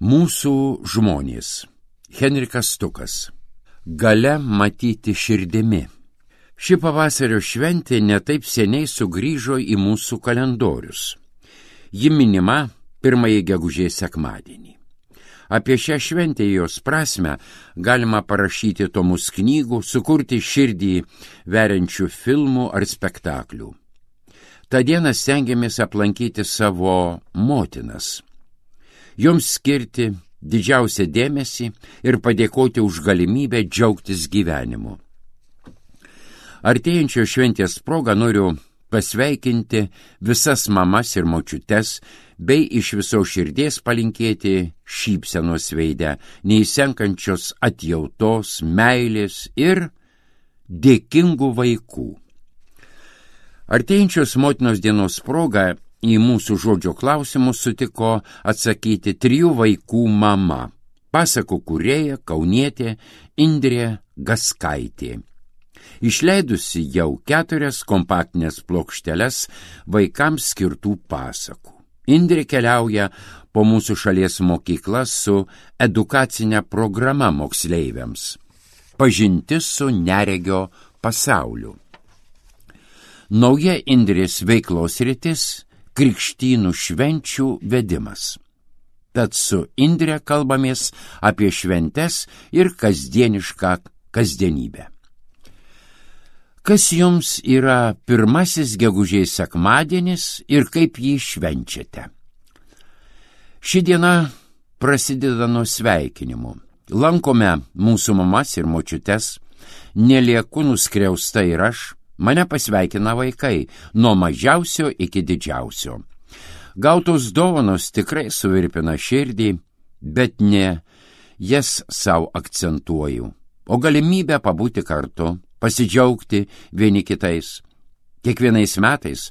Mūsų žmonės. Henrikas Stukas. Galia matyti širdimi. Ši pavasario šventė netaip seniai sugrįžo į mūsų kalendorius. Ji minima 1 gegužės sekmadienį. Apie šią šventę jos prasmę galima parašyti tomus knygų, sukurti širdį veriančių filmų ar spektaklių. Ta diena stengiamės aplankyti savo motinas, joms skirti didžiausią dėmesį ir padėkoti už galimybę džiaugtis gyvenimu. Artėjančios šventės proga noriu pasveikinti visas mamas ir močiutes, bei iš visos širdies palinkėti šypsenos veidę, neįsenkančios atjautos, meilės ir dėkingų vaikų. Artėjančios motinos dienos proga į mūsų žodžio klausimus sutiko atsakyti 3 vaikų mama, pasakų kūrėja, kaunietė Indrė Gaskaitė. Išleidusi jau 4 kompaktinės plokšteles vaikams skirtų pasakų. Indrė keliauja po mūsų šalies mokyklas su edukacinė programa moksleiviams. Pažintis su neregio pasauliu. Nauja Indrės veiklos sritis – krikštynų švenčių vedimas. Tad su Indre kalbamės apie šventes ir kasdienišką kasdienybę. Kas jums yra 1 gegužės sekmadienis ir kaip jį švenčiate? Ši diena prasideda nuo sveikinimų. Lankome mūsų mamas ir močiutes, nelieku nuskriausta ir aš. Mane pasveikina vaikai, nuo mažiausio iki didžiausio. Gautos dovanos tikrai suvirpina širdį, bet ne jas savo akcentuoju, o galimybę pabūti kartu, pasidžiaugti vieni kitais. Kiekvienais metais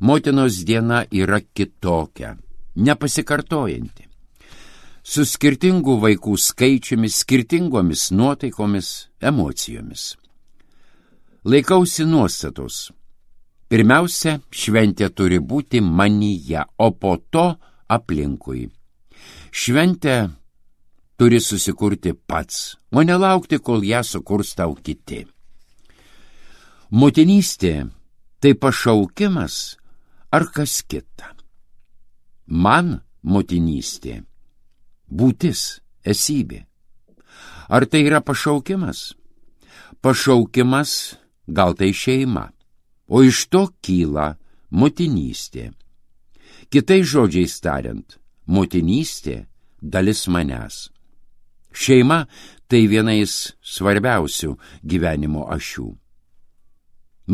motinos diena yra kitokia, nepasikartojanti. Su skirtingų vaikų skaičiumi, skirtingomis nuotaikomis, emocijomis. Laikausi nuostatos. Pirmiausia, šventė turi būti manyje, o po to aplinkui. Šventę turi susikurti pats, o nelaukti, kol ją sukurs tau kiti. Motinystė tai pašaukimas ar kas kita? Man motinystė būtis, esybė. Ar tai yra pašaukimas? Pašaukimas gal tai šeima, o iš to kyla motinystė. Kitais žodžiais tariant, motinystė dalis manęs. Šeima tai vienais svarbiausių gyvenimo ašių.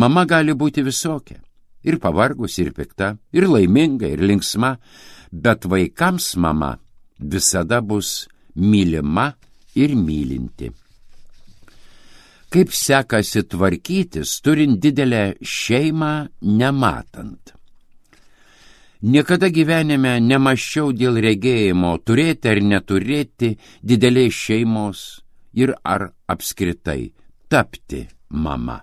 Mama gali būti visokia, ir pavargus, ir pikta, ir laiminga, ir linksma, bet vaikams mama visada bus mylima ir mylinti. Kaip sekasi tvarkytis, turint didelę šeimą nematant. Niekada gyvenime nemąsčiau dėl regėjimo, turėti ar neturėti didelės šeimos ir ar apskritai tapti mama.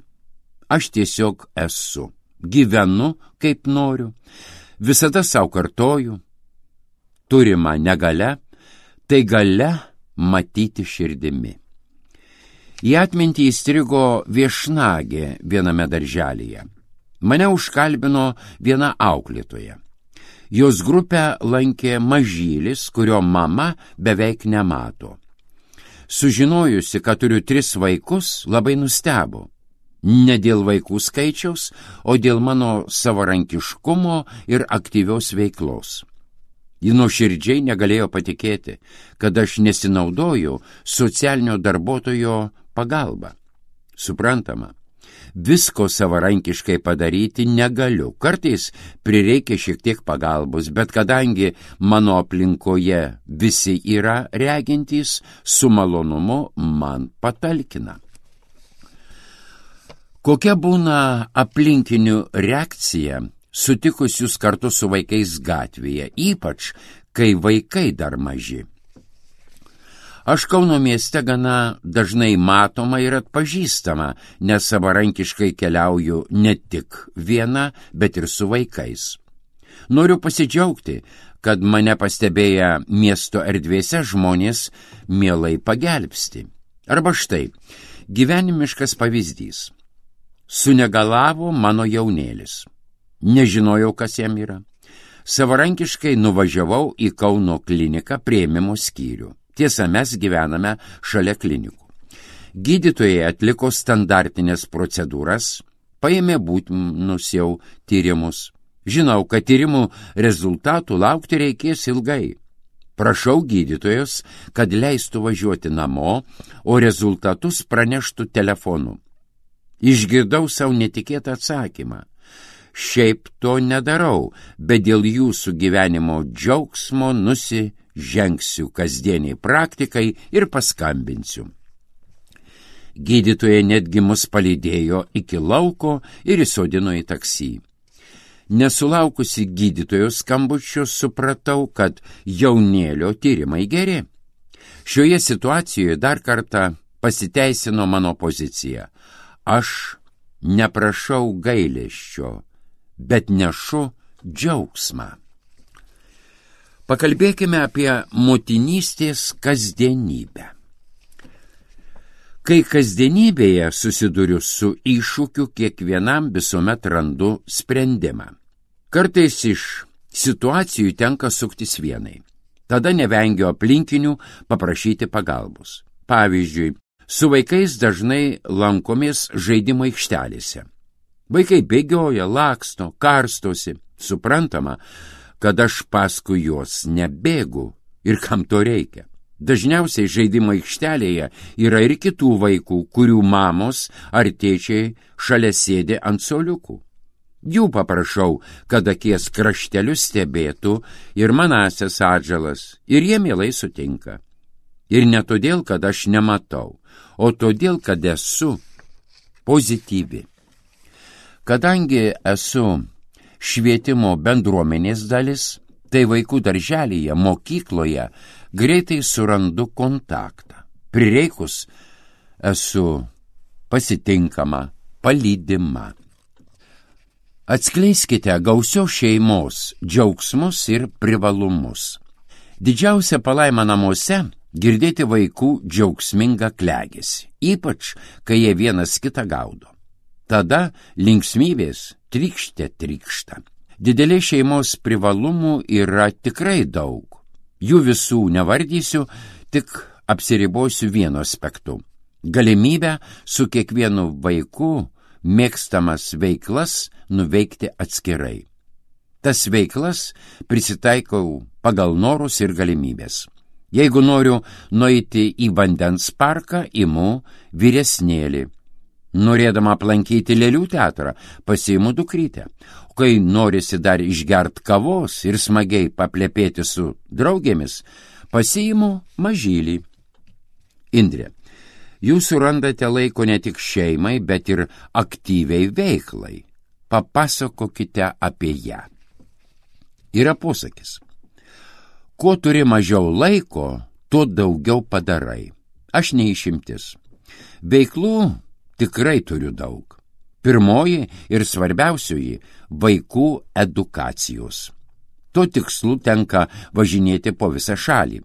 Aš tiesiog esu, gyvenu kaip noriu, visada savo kartoju, turima negalia, tai galia matyti širdimi. Į atmintį įstrigo viešnagė viename darželyje. Mane užkalbino viena auklėtoja. Jos grupę lankė mažylis, kurio mama beveik nemato. Sužinojusi, kad turiu 3 vaikus, labai nustebo. Ne dėl vaikų skaičiaus, o dėl mano savarankiškumo ir aktyvios veiklos. Ji nuoširdžiai negalėjo patikėti, kad aš nesinaudoju socialinio darbuotojo pagalba. Suprantama, visko savarankiškai padaryti negaliu. Kartais prireikia šiek tiek pagalbos, bet kadangi mano aplinkoje visi yra regintys, su malonumu man patalkina. Kokia būna aplinkinių reakcija sutikus jūs kartu su vaikais gatvėje, ypač kai vaikai dar maži? Aš Kauno mieste gana dažnai matoma ir atpažįstama, nes savarankiškai keliauju ne tik viena, bet ir su vaikais. Noriu pasidžiaugti, kad mane pastebėję miesto erdvėse žmonės mielai pagelbsti. Arba štai, gyvenimiškas pavyzdys. Sunegalavo mano jaunėlis. Nežinojau, kas jam yra. Savarankiškai nuvažiavau į Kauno kliniką priėmimo skyrių. Tiesa, mes gyvename šalia klinikų. Gydytojai atliko standartinės procedūras, paėmė būtinus jau tyrimus. Žinau, kad tyrimų rezultatų laukti reikės ilgai. Prašau gydytojos, kad leistų važiuoti namo, o rezultatus praneštų telefonu. Išgirdau savo netikėtą atsakymą. Šiaip to nedarau, bet dėl jūsų gyvenimo džiaugsmo nusižengsiu kasdieniai praktikai ir paskambinsiu. Gydytoja netgi mus palydėjo iki lauko ir įsodino į taksį. Nesulaukusi gydytojos skambučio supratau, kad jaunėlio tyrimai geri. Šioje situacijoje dar kartą pasiteisino mano pozicija. Aš neprašau gailesčio, bet nešu džiaugsmą. Pakalbėkime apie motinystės kasdienybę. Kai kasdienybėje susiduriu su iššūkiu, kiekvienam visuomet randu sprendimą. Kartais iš situacijų tenka suktis vienai. Tada nevengiu aplinkinių paprašyti pagalbos. Pavyzdžiui, su vaikais dažnai lankomės žaidimo aikštelėse. Vaikai bėgioja, laksto, karstosi. Suprantama, kad aš paskui juos nebėgu ir kam to reikia. Dažniausiai žaidimo aikštelėje yra ir kitų vaikų, kurių mamos ar tėčiai šalia sėdi ant suoliukų. Jų paprašau, kad akies kraštelius stebėtų ir manąsias atžalas, ir jie mielai sutinka. Ir ne todėl, kad aš nematau, o todėl, kad esu pozityvi. Kadangi esu švietimo bendruomenės dalis, tai vaikų darželyje, mokykloje greitai surandu kontaktą. Prireikus esu pasitinkama, palydima. Atskleiskite gausios šeimos džiaugsmus ir privalumus. Didžiausia palaima namuose girdėti vaikų džiaugsmingą klegesį, ypač kai jie vienas kitą gaudo. Tada linksmybės trykšta. Didelė šeimos privalumų yra tikrai daug. Jų visų nevardysiu, tik apsiribosiu vienu aspektu. Galimybę su kiekvienu vaiku mėgstamas veiklas nuveikti atskirai. Tas veiklas prisitaikau pagal norus ir galimybės. Jeigu noriu nueiti į vandens parką, imu vyresnėlį. Norėdama aplankyti lėlių teatrą, pasiimu dukrytę. Kai norisi dar išgert kavos ir smagiai paplepėti su draugėmis, pasiimu mažylį. Indrė, jūs surandate laiko ne tik šeimai, bet ir aktyviai veiklai. Papasakokite apie ją. Yra posakis. Kuo turi mažiau laiko, tuo daugiau padarai. Aš neišimtis. Veiklų tikrai turiu daug. Pirmoji ir svarbiausioji – vaikų edukacijos. Tuo tikslu tenka važinėti po visą šalį.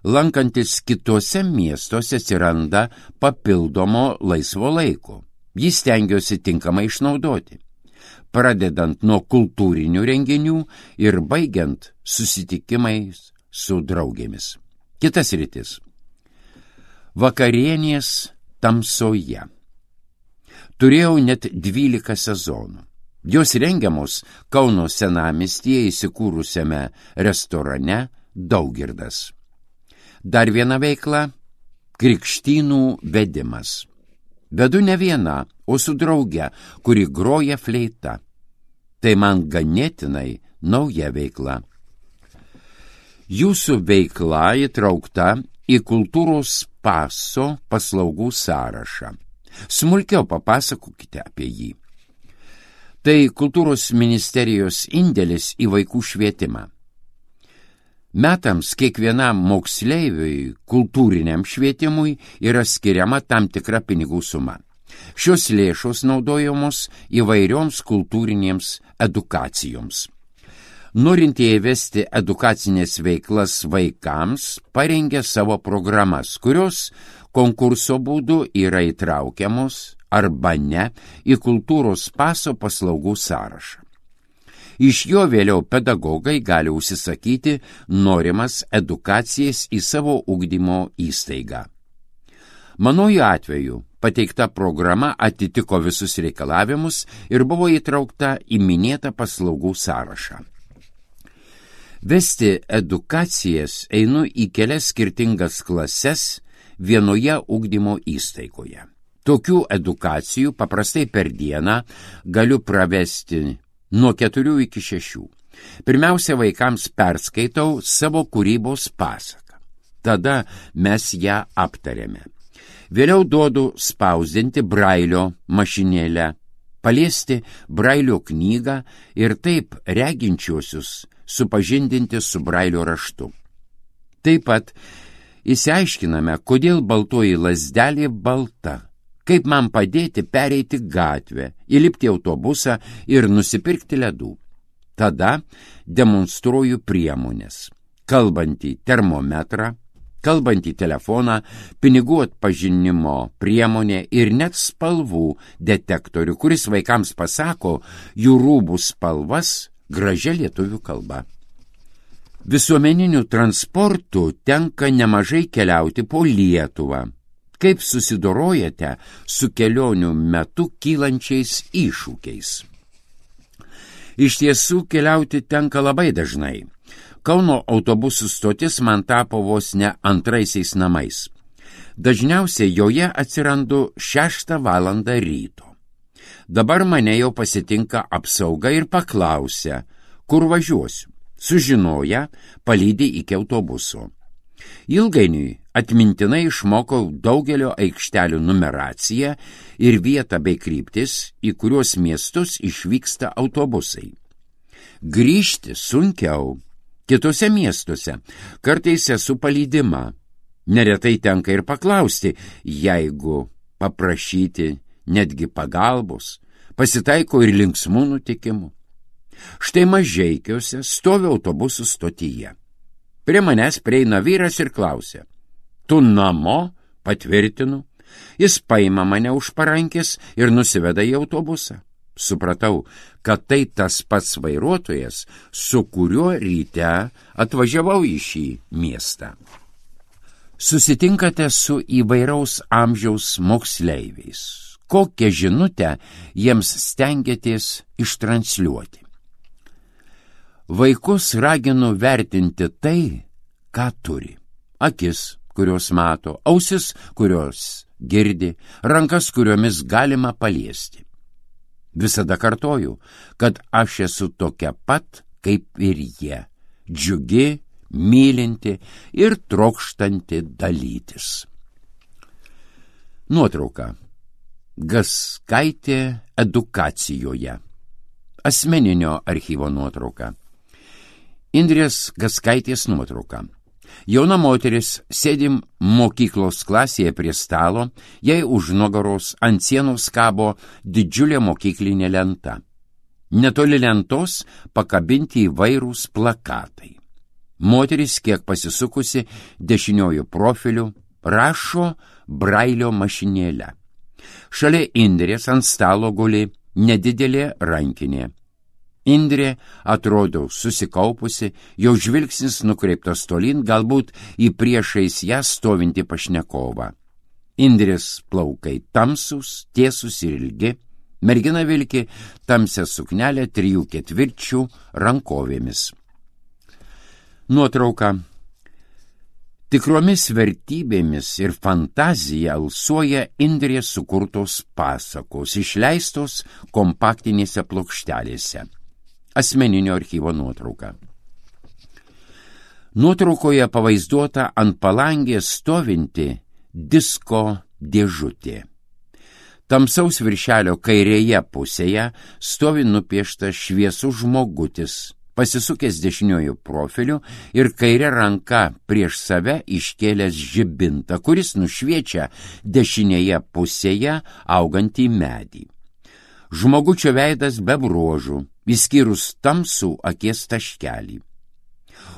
Lankantis kitose miestuose atsiranda papildomo laisvo laiko. Jį stengiuosi tinkamai išnaudoti. Pradedant nuo kultūrinių renginių ir baigiant susitikimais su draugėmis. Kitas rytis. Vakarienės tamsoje. Turėjau net 12 sezonų. Jos rengiamos Kauno senamiestyje įsikūrusiame restorane Daugirdas. Dar viena veikla – krikštynų vedimas. Vedu ne viena, o su drauge, kuri groja fleita. Tai man ganėtinai nauja veikla. Jūsų veikla įtraukta į kultūros paso paslaugų sąrašą. Smulkiau papasakokite apie jį. Tai kultūros ministerijos indėlis į vaikų švietimą. Metams kiekvienam moksleiviui kultūriniam švietimui yra skiriama tam tikra pinigų suma. Šios lėšos naudojamos įvairioms kultūrinėms edukacijoms. Norintieji vesti edukacinės veiklas vaikams parengė savo programas, kurios konkurso būdu yra įtraukiamos arba ne į kultūros paso paslaugų sąrašą. Iš jo vėliau pedagogai gali užsisakyti norimas edukacijas į savo ugdymo įstaigą. Manojo atveju pateikta programa atitiko visus reikalavimus ir buvo įtraukta į minėtą paslaugų sąrašą. Vesti edukacijas einu į kelias skirtingas klases vienoje ugdymo įstaigoje. Tokių edukacijų paprastai per dieną galiu pravesti nuo 4 iki 6. Pirmiausia, vaikams perskaitau savo kūrybos pasaką. Tada mes ją aptarėme. Vėliau duodu spausdinti brailio mašinėlę, paliesti brailio knygą ir taip reginčiuosius supažindinti su brailio raštu. Taip pat išsiaiškiname, kodėl baltoji lazdelė balta, kaip man padėti pereiti gatvę, įlipti į autobusą ir nusipirkti ledų. Tada demonstruoju priemonės, kalbantį termometrą, kalbantį telefoną, pinigų atpažinimo priemonę ir net spalvų detektorių, kuris vaikams pasako jų rūbų spalvas gražia lietuvių kalba. Visuomeniniu transportu tenka nemažai keliauti po Lietuvą. Kaip susidorojate su kelionių metu kylančiais iššūkiais? Iš tiesų keliauti tenka labai dažnai. Kauno autobusų stotis man tapo vos ne antraisiais namais. Dažniausiai joje atsirandu 6 valandą ryto. Dabar mane jau pasitinka apsauga ir paklausia, kur važiuosiu. Sužinoję, palydi iki autobuso. Ilgainiui atmintinai išmokau daugelio aikštelių numeraciją ir vietą bei kryptis, į kuriuos miestus išvyksta autobusai. Grįžti sunkiau. Kitose miestuose kartais esu palydima. Neretai tenka ir paklausti, jeigu paprašyti netgi pagalbos, pasitaiko ir linksmų nutikimų. Štai Mažeikiuose stovi autobusų stotyje. Prie manęs prieina vyras ir klausia, tu namo? Patvirtinu. Jis paima mane už parankės ir nusiveda į autobusą. Supratau, kad tai tas pats vairuotojas, su kuriuo ryte atvažiavau į šį miestą. Susitinkate su įvairaus amžiaus moksleiviais. Kokią žinutę jiems stengiatės ištransliuoti? Vaikus raginu vertinti tai, ką turi. Akis, kurios mato, ausis, kurios girdi, rankas, kuriomis galima paliesti. Visada kartoju, kad aš esu tokia pat, kaip ir jie, džiugi, mylinti ir trokštanti dalytis. Nuotrauka. Gaskaitė edukacijoje. Asmeninio archyvo nuotrauka. Indrės Gaskaitės nuotrauka. Jauna moteris sėdi mokyklos klasėje prie stalo, jai už nugaros ant sienos kabo didžiulė mokyklinė lenta. Netoli lentos pakabinti įvairūs plakatai. Moteris, kiek pasisukusi dešiniojų profilių, rašo brailio mašinėlę. Šalia Indrės ant stalo guli nedidelė rankinė. Indrė atrodo susikaupusi, jau žvilgsnis nukreiptas tolyn, galbūt į priešais ją stovintį pašnekovą. Indrės plaukai tamsūs, tiesūs ir ilgi, mergina vilki tamsią suknelę 3/4 rankovėmis. Nuotrauka. Tikromis vertybėmis ir fantazija alsuoja Indrės sukurtos pasakos, išleistos kompaktinėse plokštelėse. Asmeninio archyvo nuotrauka. Nuotraukoje pavaizduota ant palangės stovinti disko dėžutė. Tamsaus viršelio kairėje pusėje stovi nupieštas šviesus žmogutis, pasisukęs dešiniojų profiliu ir kairė ranka prieš save iškėlęs žibintą, kuris nušviečia dešinėje pusėje augantį medį. Žmogučio veidas be bruožų, išskyrus tamsų akies taškelį.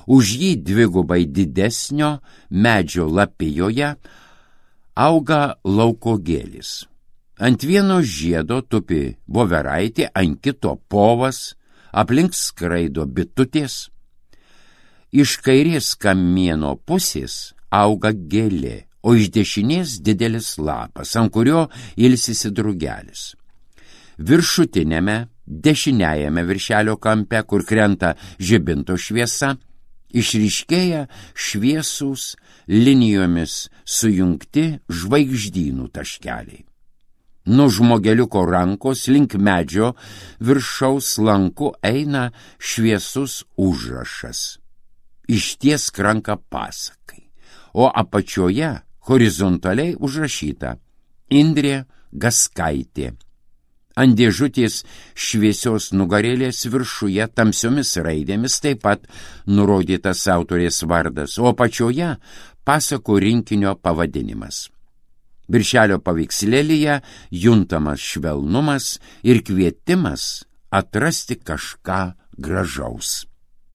Už jį dvigubai didesnio medžio lapijoje auga lauko gėlis. Ant vieno žiedo tupi voveraitė, ant kito povas, aplink skraido bitutės. Iš kairės kamieno pusės auga gėlė, o iš dešinės didelis lapas, ant kurio ilsisi drugelis. Viršutinėme, dešiniajame viršelio kampe, kur krenta žibinto šviesa, išryškėja šviesūs linijomis sujungti žvaigždynų taškeliai. Nuo žmogeliuko rankos link medžio viršaus lanku eina šviesus užrašas. Ištiesk ranką pasakai, o apačioje horizontaliai užrašyta Indrė Gaskaitė. Ant dėžutės šviesios nugarėlės viršuje tamsiomis raidėmis taip pat nurodytas autorės vardas, o apačioje pasakų rinkinio pavadinimas. Viršelio paveikslėlyje juntamas švelnumas ir kvietimas atrasti kažką gražaus.